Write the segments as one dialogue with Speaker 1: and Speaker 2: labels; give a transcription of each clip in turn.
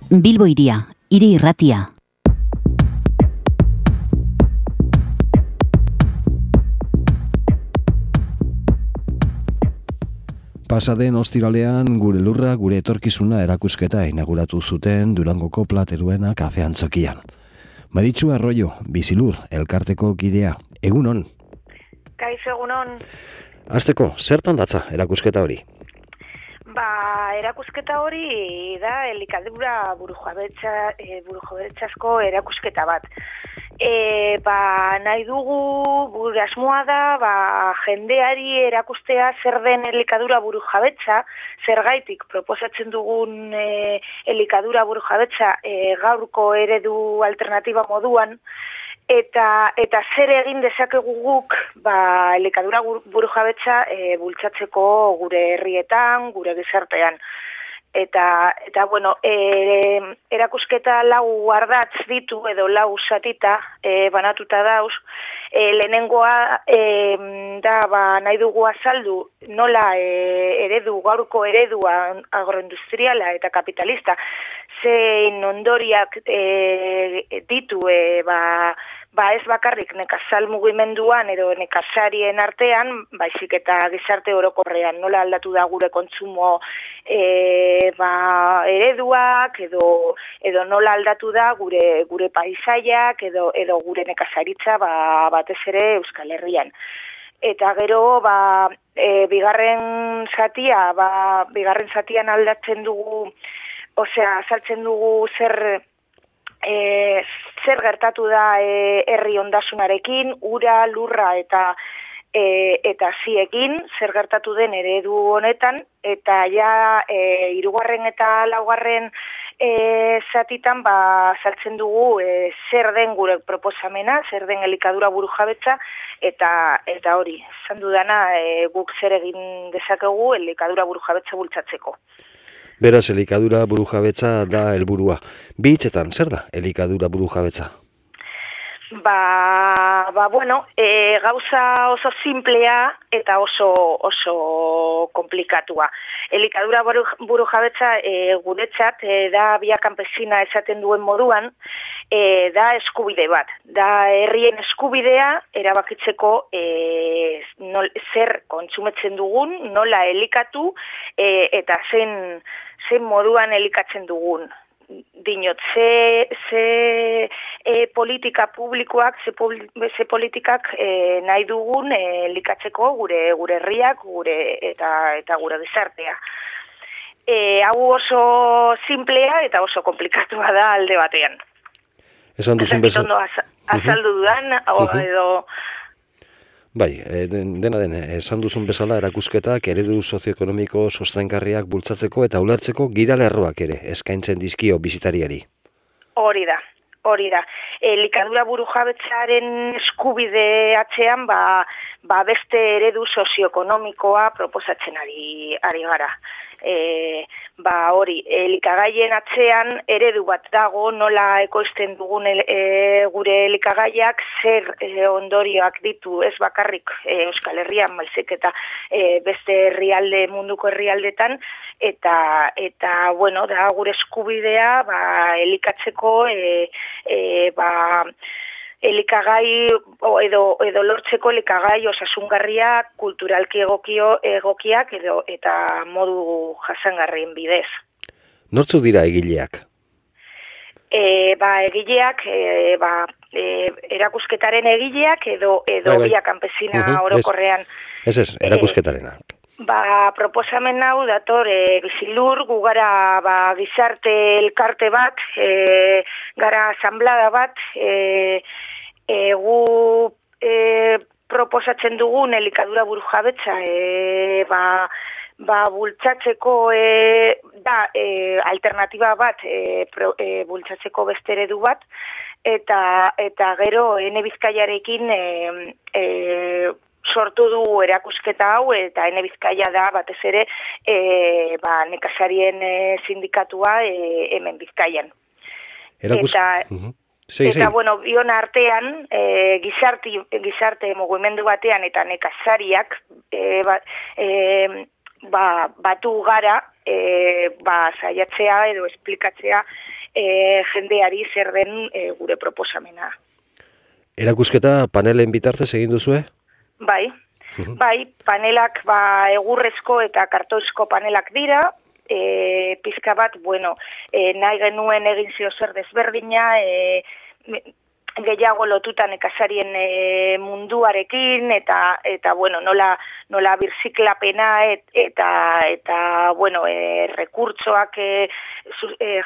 Speaker 1: Bilbo Hiria, hiri irratia.
Speaker 2: Pasaden ostiralean gure lurra, gure etorkizuna erakusketa inauguratu zuten Durangoko Plateruena kafe antzokian. Maritxu Arroyo, Bizilur, elkarteko kidea, egunon.
Speaker 3: Kaixo, egunon.
Speaker 2: Hasteko, zertan datza erakusketa hori?
Speaker 3: Erakusketa hori da elikadura burujabetzasko erakusketa bat. Nahi dugu, gure asmoa da, jendeari erakustea zer den elikadura burujabetza, zergaitik proposatzen dugun elikadura burujabetza gaurko eredu alternatiba moduan, eta zer egin dezakegu guk elikadura burujabetza bultzatzeko gure herrietan, gure gizartean. Eta erakusketa 4 ardatz ditu edo 4 zatita banatuta dauz. Lehenengoa nahi dugu azaldu nola gaurko eredua agroindustriala eta kapitalista zein ondoriak ditu ez bakarrik nekazal mugimenduan edo nekazarien artean, baizik eta gizarte orokorrean nola aldatu da gure kontsumo ereduak edo nola aldatu da gure paisaiak edo gure nekazaritza batez ere Euskal Herrian. Eta gero bigarren zatian aldatzen dugu, azaltzen dugu zer gertatu da herri ondasunarekin, ura, lurra eta ziekin, zer gertatu den eredu honetan, eta ja 3. eta 4. zatitan azaltzen dugu zer den gure proposamena, zer den elikadura burujabetza, eta hori, esan dudana guk zer egin dezakegu elikadura burujabetza bultzatzeko.
Speaker 2: Beraz, elikadura burujabetza da helburua. Bi hitzetan, zer da elikadura burujabetza?
Speaker 3: Gauza oso simplea eta oso komplikatua. Elikadura burujabetza guretzat da via campesina esaten duen moduan, da eskubide bat. Da herrien eskubidea erabakitzeko zer kontsumetzen dugun, nola elikatu eta zein moduan elikatzen dugun. Dinot, ze politika publikoak, ze politikak nahi dugun elikatzeko gure herriak eta gure gizartea. Hau oso simplea eta oso komplikatua da alde batean.
Speaker 2: Esan duzun bezala.
Speaker 3: Azaldu dudan, edo...
Speaker 2: Bai, dena esan duzun bezala erakusketak eredu sozioekonomiko sostengarriak bultzatzeko eta ulertzeko gidalerroak ere eskaintzen dizkio bisitariari. Hori da.
Speaker 3: Elikadura burujabetzaren eskubide atzean beste eredu sozioekonomikoa proposatzen ari gara. Elikagaien atzean eredu bat dago, nola ekoizten dugun gure elikagaiak, zer ondorioak ditu ez bakarrik Euskal Herrian, baizik eta beste herrialde, munduko herrialdetan, eta da gure eskubidea elikatzeko elikagai edo lortzeko elikagai osasungarriak, kulturalki egokiak eta modu jasangarrien bidez.
Speaker 2: Nortzuk dira egileak?
Speaker 3: Egileak, erakusketaren egileak edo via campesina orokorrean.
Speaker 2: Ez, erakusketarena.
Speaker 3: Proposamen hau dator Bizilur, gu gara gizarte elkarte bat, gara asanblada bat, gu proposatzen dugun elikadura burujabetza bultzatzeko da alternatiba bat bultzatzeko beste eredu bat, eta gero Ene Bizkaiarekin sortu du erakusketa hau, eta Ene Bizkaia da batez ere nekazarien sindikatua hemen Bizkaian. Bion artean, gizarte mugimendu batean eta nekazariak batu gara saiatzea edo esplikatzea jendeari zer den gure proposamena.
Speaker 2: Erakusketa panelen bitartez egin duzue?
Speaker 3: Bai, panelak egurrezko eta kartoizko panelak dira, pizka bat, nahi genuen egin zio zer desberdina, gehiago lotuta nekazarien munduarekin eta nola birziklapena eta rekurtsoak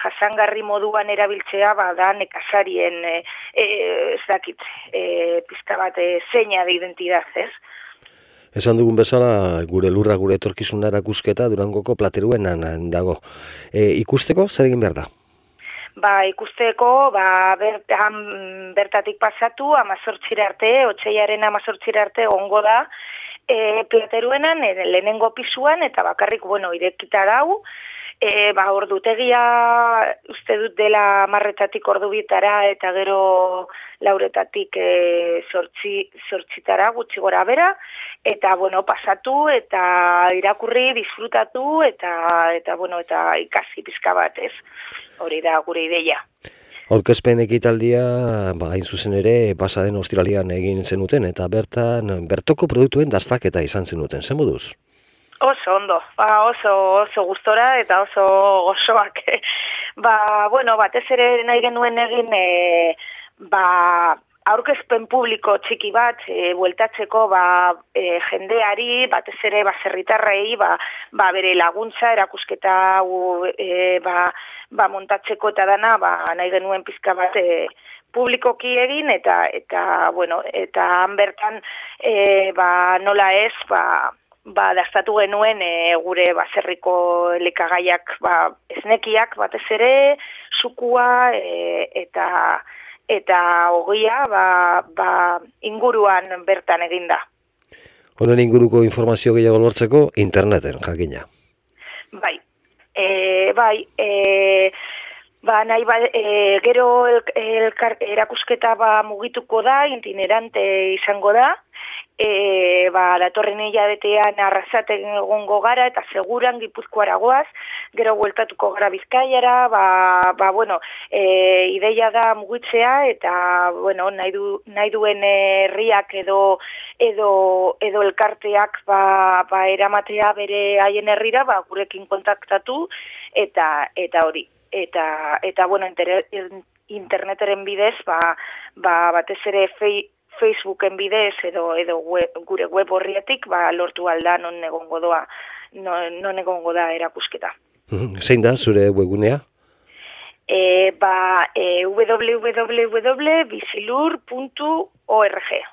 Speaker 3: jasangarri moduan erabiltzea da nekazarien pizka bat seña de identidad, ez?
Speaker 2: Esan dugun bezala, gure lurra gure etorkizuna erakusketa Durangoko plateruenan dago. Ikusteko zer egin behar da?
Speaker 3: Ikusteko, bertatik pasatu, 18 arte, otsaiaren 18 arte ongo da, plateruenan, lehenengo pisuan, eta bakarrik, irekita dau, ordutegia uste dut dela 10:00 ordubitara, eta gero 4:00 zortzitara gutxi gora bera, eta pasatu, eta irakurri, disfrutatu, eta ikasi pizka bat, ez? Hori da gure ideia.
Speaker 2: Aurkezpen ekitaldia, hain zuzen ere, pasaden ostiralean egin zenuten, eta bertoko produktuen dastaketa izan zenuten, zen moduz?
Speaker 3: Oso ondo, oso gustora eta oso gozoak. Batez ere nahi genuen egin, aurkezpen publiko txiki bat, bueltatzeko jendeari, batez ere baserritarrei, bere laguntza, erakusketa montatzeko eta dana, nahi genuen pizka bat publikoki egin, eta han bertan, nola ez, dastatu genuen gure baserriko elikagaiak, esnekiak batez ere, sukua eta ogia inguruan bertan eginda.
Speaker 2: Honen inguruko informazio gehiago lortzeko interneten jakina.
Speaker 3: Gero erakusketa mugituko da, itinerante izango da, datorren hilabetean Arrasaten egongo gara eta seguran Gipuzkoara goaz, gero bueltatuko gara Bizkaiara, ideia da mugitzea eta nahi duen herriak edo elkarteak eramatea bere haien herrira, gurekin kontaktatu eta hori. Eta interneteren bidez, batez ere Facebooken bidez edo gure web horriatik lortu alda non egongo da erakusketa.
Speaker 2: Zein da zure webgunea?
Speaker 3: www.bizilur.org.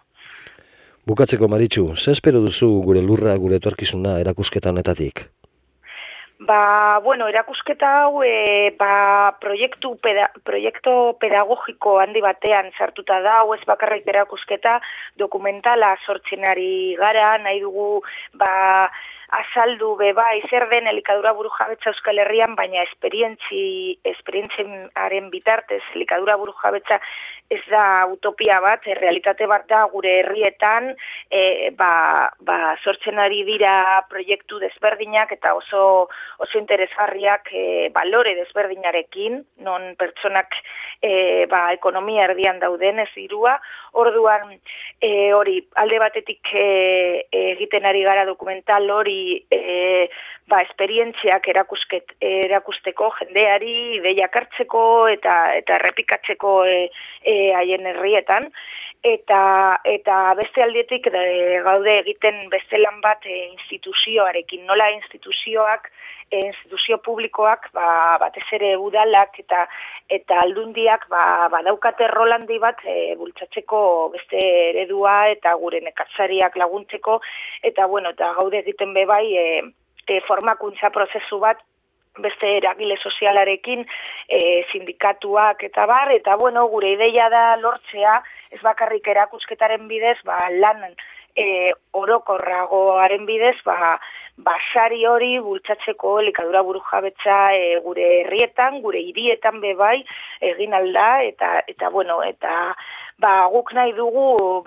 Speaker 2: Bukatzeko, Maritxu, ze espero duzu gure lurra gure etorkizuna erakusketa honetatik?
Speaker 3: Erakusketa hau proiektu pedagogiko handi batean sartuta da, ez bakarrik erakusketa dokumentala sortzen ari gara, nahi dugu azaldu zer den elikadura burujabetza Euskal Herrian, baina esperientziaren bitartez elikadura burujabetza ez da utopia bat, realitate bat da gure herrietan, sortzen ari dira proiektu desberdinak eta oso interesgarriak balore desberdinarekin, non pertsonak ekonomia erdian dauden ez dirua, orduan hori alde batetik egiten ari gara dokumental hori esperientziak erakusteko jendeari, ideiak hartzeko eta errepikatzeko haien herrietan, eta beste aldetik gaude egiten beste lan bat instituzioarekin, nola instituzio publikoak batez ere udalak eta aldundiak badaukate rolandi bat bultzatzeko beste eredua eta gure nekazariak laguntzeko eta gaude egiten formakuntza prozesu bat beste eragile sozialarekin, sindikatuak eta gure ideia da lortzea, ez bakarrik erakusketaren bidez, lan orokorragoaren bidez, basari hori bultzatzeko elikadura burujabetza gure herrietan, gure hirietan bebai egin alda, eta guk nahi dugu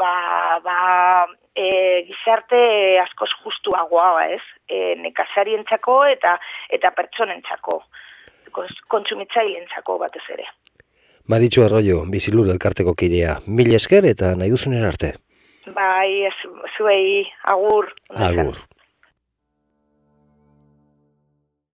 Speaker 3: gizarte askoz justuagoa, ez? Nekazarientzako eta pertsonentzako. kontsumitzaileentzako batez ere.
Speaker 2: Maritxu Arroyo, Bizilur elkarteko kidea. Mil esker eta nahi duzunen arte.
Speaker 3: Bai, zuei, agur.
Speaker 2: Agur.